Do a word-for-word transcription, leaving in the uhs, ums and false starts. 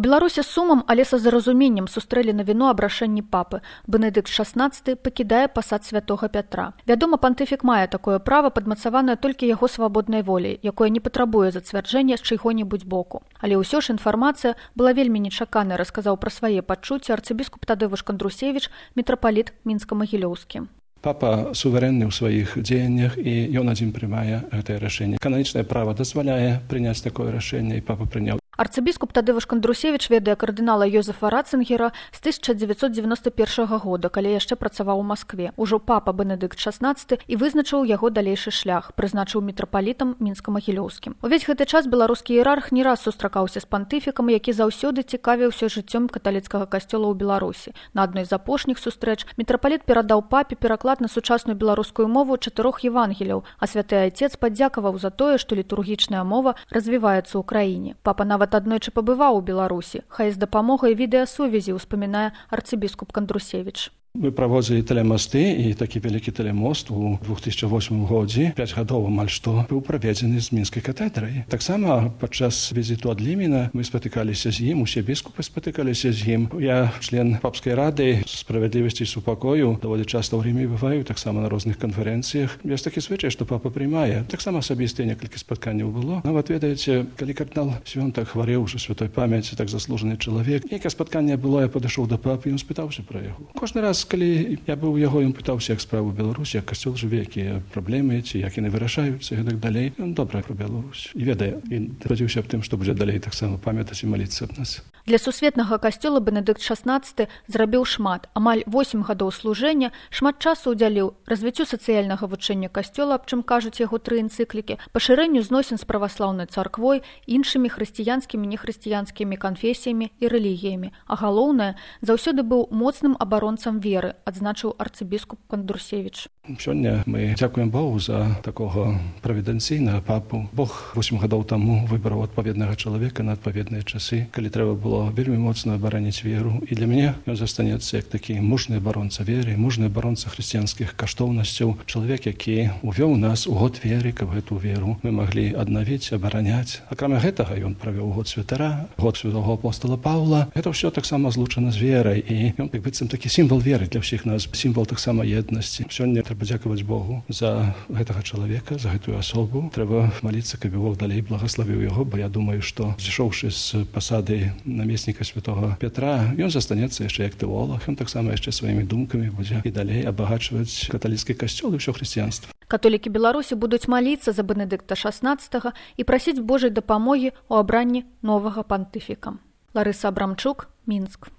Беларусі з сумам, але са зразуменнем сустрэлі навіну аб рашэнні папы. Бенедыкт шаснаццаты пакідае пасад святога Пятра. Вядома, пантыфік мае такое права, падмацаванае толькі яго свабоднай воляй, якое не патрабуе зацвярджэння з чыйго-небудзь боку. Але ўсё ж інфармацыя была вельмі нечаканай, расказаў пра свае пачуцці арцыбіскуп Тадeusz Кондрусевич, мітрапаліт мінска-магілёўскі. Папа суверэнны ў сваіх дзеяннях, і ён адзін прымае гэтае рашэнне. Кананічнае права дазваляе прыняць такое рашэнне, і папа прыняў. Арцыбіскуп Тадeusz Кондрусевич ведае кардынала Йозефа Ратцингера з тысяча дзевяцьсот дзевяноста першага года, калі яшчэ працаваў у Маскве. Ужо папа Бенедыкт шаснаццаты і вызначыў яго далейшы шлях, прызначыў мітрапалітам мінска-магілёўскім. Увесь гэты час беларускі іерарх не раз сустракаўся з пантыфікам, які заўсёды цікавіўся жыццём каталіцкага касцёла ў Беларусі. На адной з апошніх сустрэч мітрапаліт перадаў папе пераклад на сучасную беларускую мову чатырох евангеліяў, а святы айцец падзякаваў за тое, што літургічная мова развіваецца ў краіне. Папа нават аднойчы пабываў у Беларусі, хай з дапамогай відэасувязі, успамінае арцыбіскуп Кондрусевич. Мы праводзілі тэлемасты, і такі вялікі тэлемост у двух тысячах восьмым годзе, пяць гадоў амаль што, быў праведзены з мінскай катедрай. Таксама падчас візіту ад Ліміна мы спатыкаліся з ім, усе біскупы спатыкаліся з ім. Я член папскай рады справядлівасці і супакою, даволі часта ў Ріме бываю, таксама на розных канферэнцыях. Ёсць такі звычай, што папа прымае. Таксама асабістыя некалькі спатканняў было. Нават, ведаеце, калі кардынал Свёнтак хварэў ужо святой памяці, так заслужаны чалавек, нейкае спатканне было, я падышоў да папы, ён спытаўся пра яго. Кожны раз, калі я быў у яго, ён пытаўся, як справы ў Беларусі, як касцёл жыве, якія праблемы, ці як яны вырашаюцца і гэтак далей. Ён добра пра Беларусь і ведае, і спадзяўся аб тым, што будзе далей таксама памятаць і маліцца аб нас. Для сусветнага касцёла Бенедыкт шаснаццаты зрабіў шмат, амаль восем гадоў служэння, шмат часу ўдзяліў развіццю сацыяльнага вучэння касцёла, аб чым кажуць яго тры энцыклікі, пашырэнню зносін з праваслаўнай царквой, іншымі хрысціянскімі, нехрысціянскімі канфесіямі і рэлігіямі. А галоўнае, заўсёды быў моцным абаронцам веры, адзначыў арцыбіскуп Кондрусевич. Сёння мы дзякуем Богу за такога правідэнцыйнага папу. Бог восем гадоў таму выбраў адпаведнага чалавека на адпаведныя часы, калі трэба было вельмі моцна абараніць веру. І для мяне ён застанецца як такі мужны абаронца веры, мужны абаронца хрысціянскіх каштоўнасцяў, чалавек, які увёў нас у год веры, каб гэту веру мы маглі аднавіць, абараняць. Акрамя гэтага ён правёў год святара, год святого апостола Паўла. Гэта ўсё таксама злучана з верай, і ён як быццам такі сімвал веры для ўсіх нас, сімвал таксама еднасці. Сёння трэба дзякаваць Богу за гэтага чалавека, за гэтую асобу. Трэба маліцца, каб Бог далей благаславіў яго, бо я думаю, што зышоўшы з пасады намесніка святого Пятра, ён застанецца яшчэ як тэолог. Ён таксама яшчэ сваімі думкамі будзе і далей абагачваць каталіцкі касцёл і ўсё хрысціянства. Католікі Беларусі будуць маліцца за Бенедыкта шаснаццатага і прасіць Божай дапамогі ў абранні новага пантыфіка. Ларыса Абрамчук, Мінск.